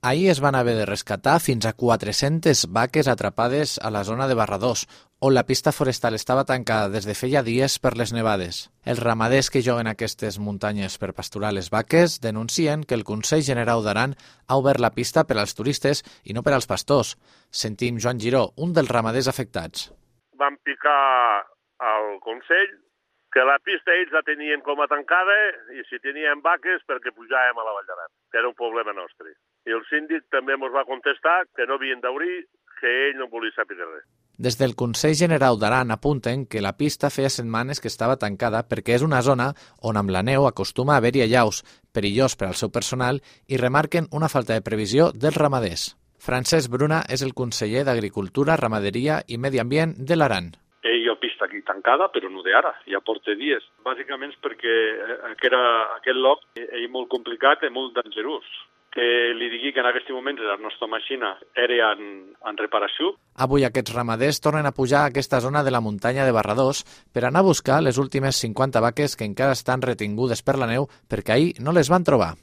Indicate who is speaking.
Speaker 1: Ahir es van haver de rescatar fins a 400 vaques atrapades a la zona de Barradós, on la pista forestal estava tancada des de feia dies per les nevades. Els ramaders que juguen a aquestes muntanyes per pasturar les vaques denuncien que el Consell Generau d'Aran ha obert la pista per als turistes i no per als pastors. Sentim Joan Giró, un dels ramaders afectats.
Speaker 2: Van picar al Consell que la pista ells la tenien com a tancada i si tenien vaques perquè pujàvem a la Vall d'Aran, que era un problema nostre. I el síndic també ens va contestar que no havien d'obrir, que ell no volia saber res.
Speaker 1: Des del Consell Generau d'Aran apunten que la pista feia setmanes que estava tancada perquè és una zona on amb la neu acostuma a haver-hi allaus, perillós per al seu personal, i remarquen una falta de previsió dels ramaders. Francesc Bruna és el conseller d'Agricultura, Ramaderia i Medi Ambient de l'Aran.
Speaker 3: Hi ha pista aquí tancada, però no d'ara, ja porta dies. Bàsicament perquè aquest lloc és molt complicat i molt dangerós. Que li digui que en aquest moment la nostra màquina era en reparació.
Speaker 1: Avui aquests ramaders tornen a pujar a aquesta zona de la muntanya de Barradós per anar a buscar les últimes 50 vaques que encara estan retingudes per la neu perquè ahir no les van trobar.